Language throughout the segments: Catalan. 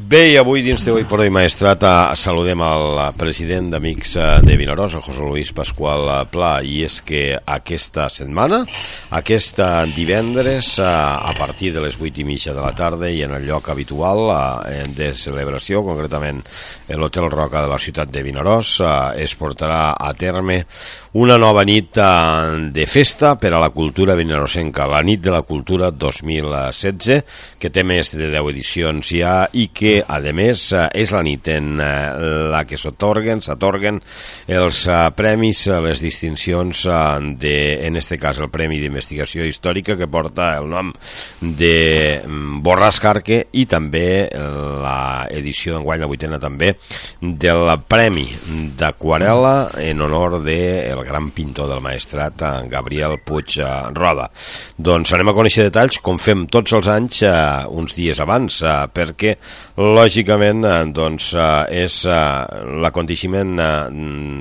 Bé, i avui dins de Hoy por Hoy Maestrat saludem al president d'Amics de Vinaròs, el José Luis Pascual Pla, i és que aquesta setmana, aquest divendres, a partir de les 8:30 de la tarda i en el lloc habitual de celebració, concretament l'Hotel Roca de la ciutat de Vinaròs, es portarà a terme una nova nit de festa per a la cultura vinarosenca, la Nit de la Cultura 2016, que té més de 10 edicions ja i que a més és la nit en la que s'atorguen els premis, les distincions en este cas el Premi d'Investigació Històrica, que porta el nom de Borràs Jarque, i també l'edició d'enguany, la 8ª també, del Premi d'Aquarela en honor del gran pintor del Maestrat, Gabriel Puig Roda. Doncs anem a conèixer detalls, com fem tots els anys, uns dies abans, perquè lògicament doncs, és l'aconteixement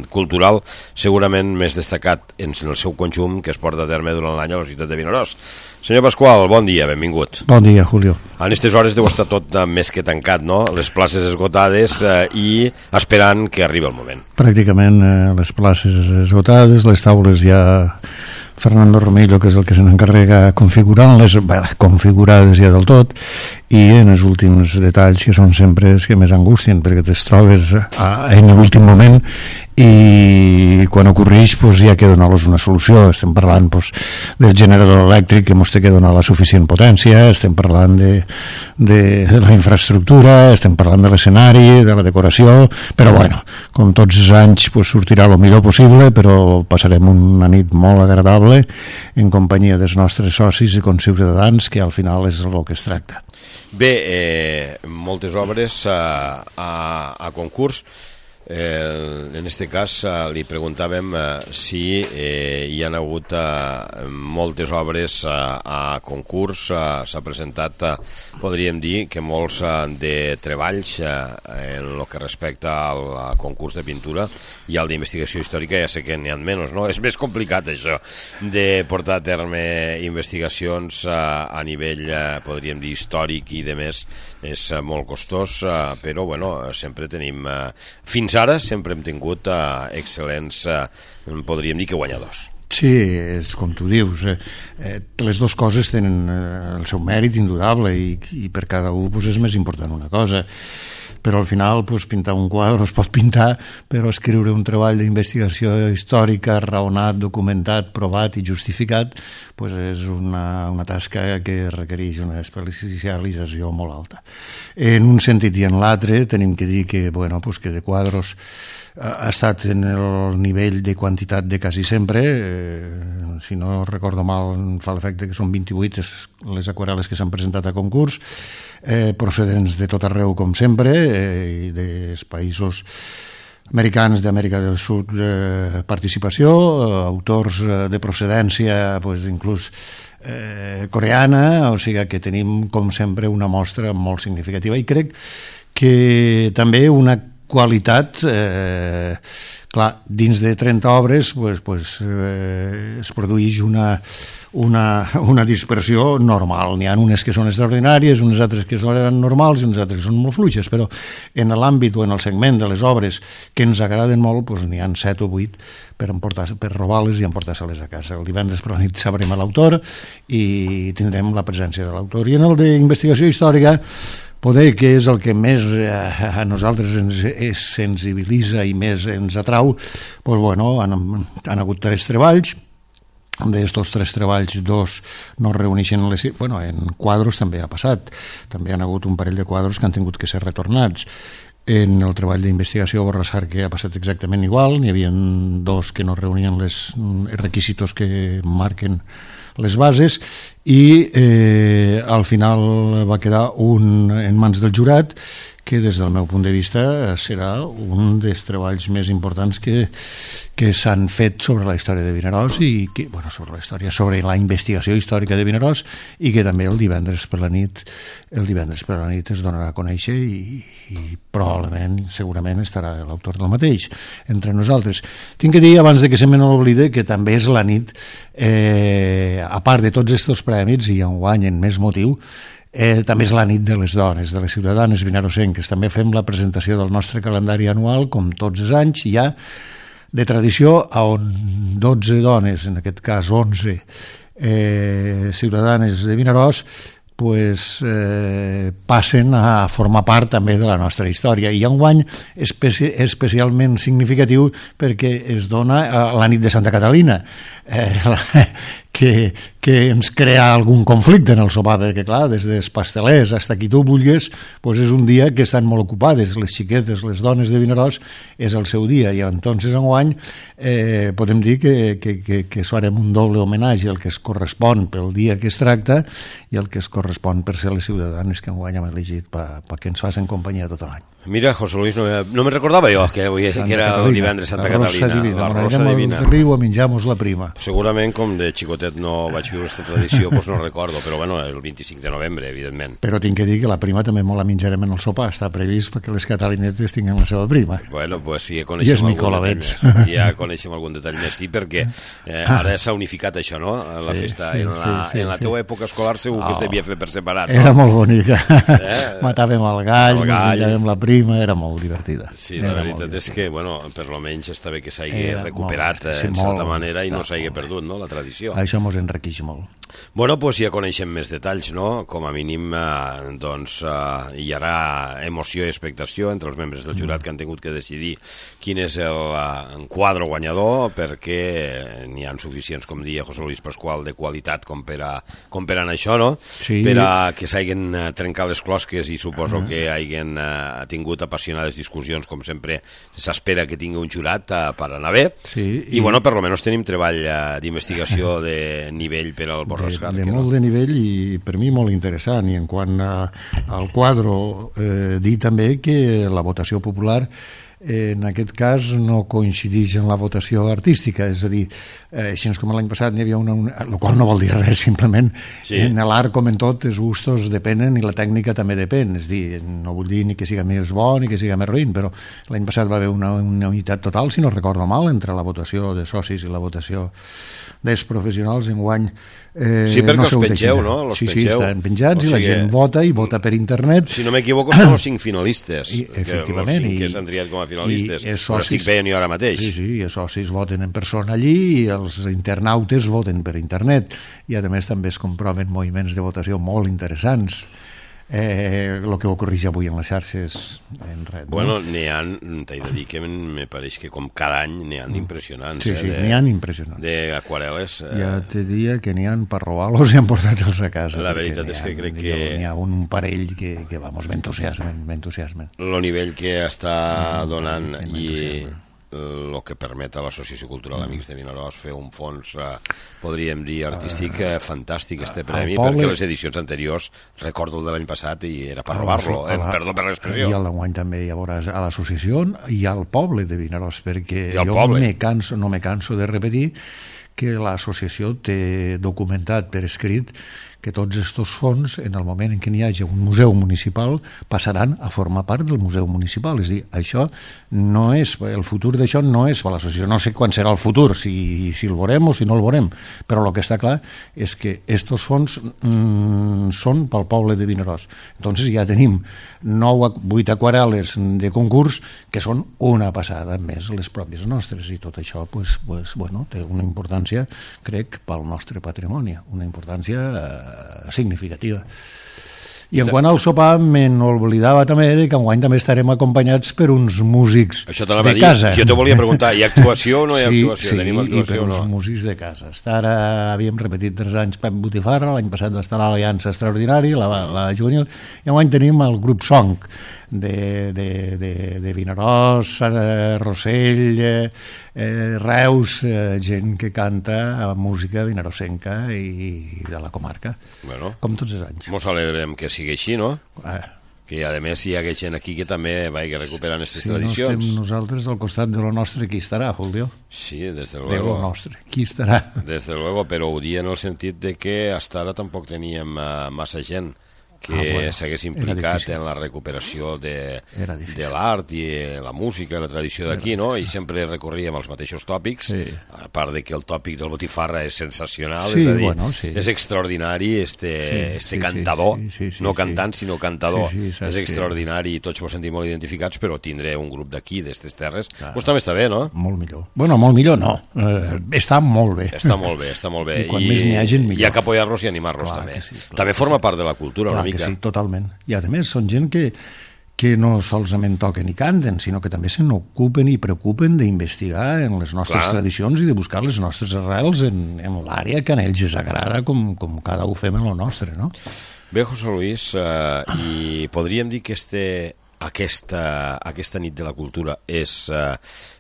cultural segurament més destacat en el seu conjunt que es porta a terme durant l'any a la ciutat de Vinaròs. Senyor Pascual, bon dia, benvingut. Bon dia, Julio. En aquestes hores deu estar tot més que tancat, no? Les places esgotades i esperant que arribi el moment. Pràcticament les places esgotades, les taules ja... Fernando Romillo, que és el que se n'encarrega configurant-les, configurades ja del tot, i en els últims detalls, que són sempre els que més angustien, perquè te'ls trobes en l'últim moment i quan ocorreix pues, ja que donar-los una solució. Estem parlant pues, del generador elèctric que ens té que donar la suficient potència, estem parlant de la infraestructura, estem parlant de l'escenari, de la decoració, però bueno, com tots els anys pues, sortirà el millor possible, però passarem una nit molt agradable en companyia dels nostres socis i conciutadans, que al final és el que es tracta. Bé, moltes obres a concurs. En aquest cas li preguntàvem si hi han hagut moltes obres a concurs. S'ha presentat, podríem dir, que molts de treballs en el que respecta al concurs de pintura i al d'investigació històrica. Ja sé que n'hi ha menys, no? És més complicat això de portar a terme investigacions a nivell, podríem dir, històric i de més. És molt costós, però bueno, sempre tenim fins ara sempre hem tingut excel·lents, podríem dir que guanyadors. Sí, és com tu dius, les dues coses tenen el seu mèrit indudable i per cada un pues, és més important una cosa, però al final pues, pintar un quadre es pot pintar, però escriure un treball d'investigació històrica raonat, documentat, provat i justificat pues, és una tasca que requereix una especialització molt alta. En un sentit i en l'altre tenim que dir que, bueno, pues, que de quadros ha estat en el nivell de quantitat de quasi sempre, si no recordo mal fa l'efecte que són 28 les aquarel·les que s'han presentat a concurs, procedents de tot arreu com sempre, i dels països americans, d'Amèrica del Sud, participació, autors de procedència pues, inclús coreana, o sigui que tenim com sempre una mostra molt significativa i crec que també una qualitat, clar, dins de 30 obres es produeix una dispersió normal. N'hi ha unes que són extraordinàries, unes altres que són normals i unes altres que són molt fluixes, però en l'àmbit o en el segment de les obres que ens agraden molt, n'hi ha 7 o 8 per robar-les i emportar-se-les a casa. El divendres per la nit sabrem l'autor i tindrem la presència de l'autor. I en el d'investigació històrica, poder que és el que més a nosaltres ens sensibilitza i més ens atrau, doncs, bueno, han hagut 3 treballs. D'estos 3 treballs, 2 no reuneixen bueno, en quadros també ha passat. També han hagut un parell de quadros que han tingut que ser retornats. En el treball d'investigació Borràs Jarque ha passat exactament igual. N'hi havia 2 que no reunien els requisitos que marquen les bases i al final va quedar un en mans del jurat que des del meu punt de vista serà un dels treballs més importants que s'han fet sobre la història de Vinaròs i que, bueno, sobre la investigació històrica de Vinaròs i que també el divendres per la nit es donarà a conèixer i probablement, segurament estarà l'autor del mateix entre nosaltres. Tinc que dir, abans de que se me n'oblide, que també és la nit, a part de tots aquests prèmits i enguany en més motiu, També és la nit de les dones, de les ciutadanes vinarosenques. També fem la presentació del nostre calendari anual, com tots els anys, ja de tradició, on 12 dones, en aquest cas 11 ciutadanes de Vinaròs, passen a formar part també de la nostra història, i enguany especialment significatiu perquè es dona la nit de Santa Catalina, que ens crea algun conflicte en el sopar, perquè clar, des dels pastelers fins a qui tu vulguis, és un dia que estan molt ocupades, les xiquetes, les dones de Vinaròs, és el seu dia, i entonces enguany podem dir que farem un doble homenatge al que es correspon pel dia que es tracta i el que es correspon per ser les ciutadanes que enguany hem elegit perquè ens facin companyia tot l'any. Mira, José Luis, no me recordava jo que era el divendres Santa Catalina, la rosa divina. Al riu a menjar-nos la prima. Segurament, com de xicotet no vaig viure aquesta tradició, doncs no recordo, però bueno, el 25 de novembre, evidentment. Però tinc que dir que la prima també molt la menjarem en el sopar, està previst perquè les catalinetes tinguin la seva prima. Bueno, doncs sí, ja coneixem algun detall més, sí, perquè ara s'ha unificat això, no? La festa, en la teua època escolar segur que es devia fer per separat. Era molt bonica, matàvem el gall, menjàvem la prima, era molt divertida. Sí, la veritat és que, bueno, per lo menys està bé que s'hagi recuperat en certa manera i no s'hagi perdut, no?, la tradició. Això mos enriqueix molt. Bueno, doncs ja coneixem més detalls, no? Com a mínim, doncs, hi haurà emoció i expectació entre els membres del jurat que han tingut que decidir quin és el quadre guanyador, perquè n'hi ha suficients, com deia José Luis Pascual, de qualitat com per anar això, no? Sí. Per a que s'hagin trencat les closques i suposo que hagin tingut apassionades discussions, com sempre s'espera que tingui un jurat per anar bé. Sí, i bueno, per almenys tenim treball d'investigació de nivell per al Borrascar. De molt de nivell i per mi molt interessant, i en quant al quadre dir també que la votació popular en aquest cas no coincideix en la votació artística, és a dir, així com l'any passat n'hi havia el qual no vol dir res, simplement en l'art com en tot els gustos depenen i la tècnica també depèn, és a dir, no vull dir ni que siga més bo ni que siga més ruïn, però l'any passat va haver una unitat total, si no recordo mal, entre la votació de socis i la votació dels professionals. Enguany sí, perquè els pengeu, no? Sí, estan penjats i la gent vota i vota per internet. Si no m'equivoco, són els 5 finalistes. Efectivament. Els 5 que s'han triat com a finalistes. Però estic veient jo ara mateix. Sí, els socis voten en persona allí i els internautes voten per internet. I a més també es comproven moviments de votació molt interessants. El que ocorreix avui en les xarxes en red. Bueno, n'hi ha, t'he de dir que me pareix que com cada any n'hi ha d'impressionants. Sí, n'hi ha impressionants. D'aquarel·les. Ja te diria que n'hi ha per robar-los i han portat-los a casa. La veritat és que crec que n'hi ha un parell que vamos, m'entusiasmen. El nivell que està donant i el que permet a l'Associació Cultural Amics de Vinaròs fer un fons, podríem dir, artístic fantàstic, este premi, perquè les edicions anteriors, recordo el de l'any passat, i era per robar-lo, perdó per l'expressió. I el d'enguany també ja veuràs a l'associació i al poble de Vinaròs, perquè jo no me canso de repetir que l'associació té documentat per escrit que tots aquests fons, en el moment en què n'hi hagi un museu municipal, passaran a formar part del museu municipal. És a dir, això no és, el futur d'això no és per l'associació. No sé quan serà el futur, si el veurem o si no el veurem, però el que està clar és que aquests fons són pel poble de Vinaròs. Entonces ja tenim 8 aquarel·les de concurs que són una passada, més les pròpies nostres, i tot això té una importància, crec, pel nostre patrimoni, una importància significativa. I en quant al sopar, me n'oblidava també que enguany també estarem acompanyats per uns músics de casa. Jo te volia preguntar, hi ha actuació o no hi ha actuació? Sí, i per uns músics de casa. Ara havíem repetit 3 anys Pep Botifarra, l'any passat va estar l'Aliança Extraordinària, la juvenil, i enguany tenim el grup Song de Vinaròs, Rossell, Reus, gent que canta música vinarosenca i de la comarca, com tots els anys. Mos alegrem que sigui així, no? Que a més hi ha gent aquí que també vagi recuperant aquestes tradicions. Si no estem nosaltres al costat de lo nostre, qui estarà, Julio? Sí, des de luego. De lo nostre, qui estarà? Des de luego, però ho dia en el sentit de que hasta ara tampoc teníem massa gent que s'hagués implicat en la recuperació de l'art i la música i la tradició d'aquí, no? I sempre recorríem als mateixos tòpics, a part de que el tòpic del Botifarra és sensacional, és a dir, és extraordinari este cantador, no cantant sinó cantador, és extraordinari i tots ens sentim molt identificats, però tindré un grup d'aquí, d'aquestes terres, doncs també està bé, no? Molt millor. Bueno, molt millor no, està molt bé. Està molt bé, està molt bé. I quan més n'hi hagi, millor. Hi ha que apoyar-los i animar-los també. També forma part de la cultura una mica. Sí, totalment. I a més són gent que no solament toquen i canten, sinó que també se n'ocupen i preocupen d'investigar en les nostres tradicions i de buscar les nostres arrels en l'àrea que a ells els agrada, com cada un fem en lo nostre, no? Bé, José Luis, i podríem dir que aquesta nit de la cultura és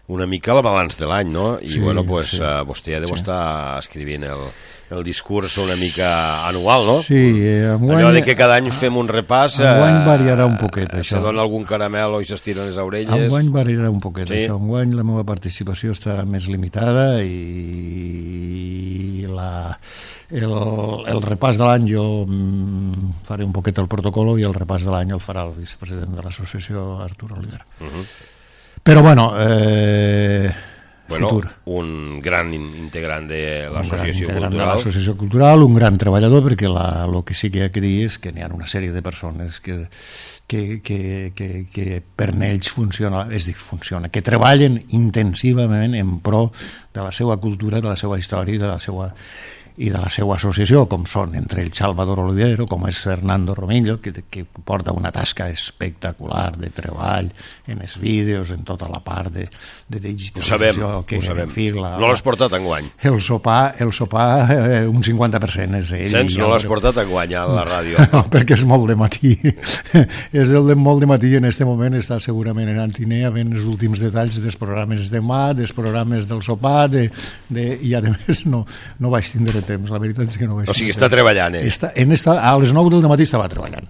una mica el balanç de l'any, no? I bueno, pues vostè ja deu estar escrivint el discurs una mica anual, no? Sí, allò de que cada any fem un repàs... Enguany variarà un poquet, això. Se dona algun caramel o i s'estiren les orelles... Enguany variarà un poquet, això. Enguany la meva participació estarà més limitada i el repàs de l'any jo faré un poquet el protocolo i el repàs de l'any el farà el vicepresident de l'associació, Artur Oliver. Però bueno... futur. Un gran integrant de l'associació cultural. De l'associació cultural, un gran treballador, perquè el que sí que hi ha que dir és que n'hi ha una sèrie de persones que per ells funciona, que treballen intensivament en pro de la seva cultura, de la seva història i de la seva associació, com són entre el Salvador Olivero, com és Fernando Romillo, que porta una tasca espectacular de treball en els vídeos, en tota la part de digitalització. Ho sabem. No l'has portat enguany? El sopar, un 50% és ell. No l'has portat enguany a la ràdio? No, perquè és molt de matí. És el de molt de matí i en aquest moment està segurament en Antinea fent els últims detalls dels programes de mà, dels programes del sopar, i a més no vaig tindre temps, la veritat és que no vaig... O sigui, està treballant, a les 9 del matí estava treballant.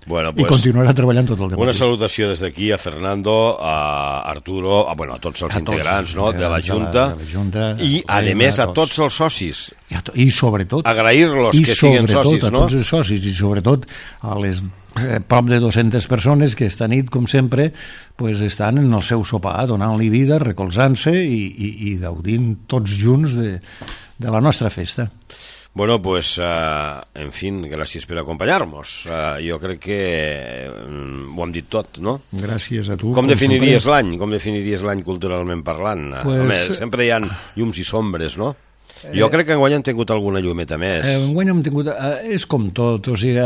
Bueno, i continuarà treballant tot el matí. Una salutació des d'aquí a Fernando, a Arturo, a tots els integrants de la Junta i, a més, a tots els socis. I sobretot... Agrair-los que siguin socis, no? A tots els socis i sobretot a les prop de 200 persones que esta nit, com sempre, estan en el seu sopar, donant-li vida, recolzant-se i gaudint tots junts de la nostra festa. Bueno, pues, en fin, gràcies per acompanyar-nos. Jo crec que ho hem dit tot, no? Gràcies a tu. Com definiries l'any? Com definiries l'any culturalment parlant? Home, sempre hi ha llums i sombres, no? Jo crec que enguany hem tingut alguna llumeta més. Enguany hem tingut... És com tot, o sigui,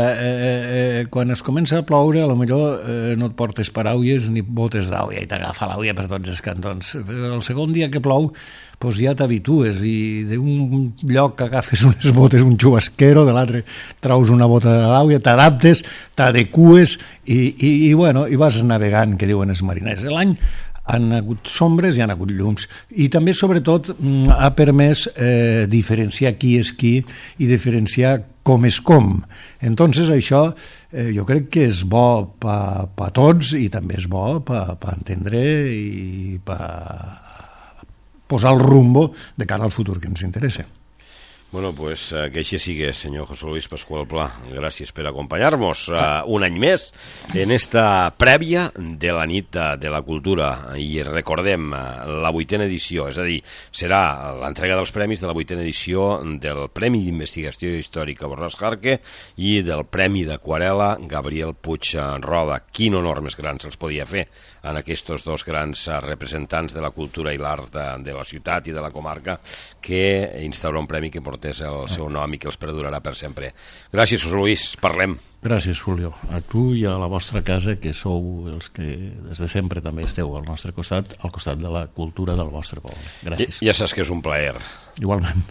quan es comença a ploure, potser no et portes paraules ni botes d'àuia i t'agafa l'àuia per tots els cantons. Però el segon dia que plou, ja t'habitues i d'un lloc que agafes unes botes, un xubasquero, de l'altre traus una bota d'àuia, t'adaptes, t'adecues i vas navegant, que diuen els mariners. L'any han hagut sombres i han hagut llums i també sobretot ha permès diferenciar qui és qui i diferenciar com és com. Entonces això jo crec que és bo per tots i també és bo per entendre i per posar el rumbo de cara al futur que ens interessa. Bueno, pues que així sigue, senyor José Luis Pascual Pla. Gràcies per acompanyar-nos un any més en esta prèvia de la nit de la cultura. I recordem, la 8a edició, és a dir, serà l'entrega dels premis de la 8a edició del Premi d'Investigació Històrica Borràs Jarque i del Premi d'Aquarela Gabriel Puig Roda. Quin honor més gran se'ls podia fer en aquests dos grans representants de la cultura i l'art de la ciutat i de la comarca que instaura un premi que portés el seu nom i que els perdurarà per sempre. Gràcies, José Luis. Parlem. Gràcies, Julio. A tu i a la vostra casa, que sou els que des de sempre també esteu al nostre costat, al costat de la cultura del vostre poble. Gràcies. Ja saps que és un plaer. Igualment.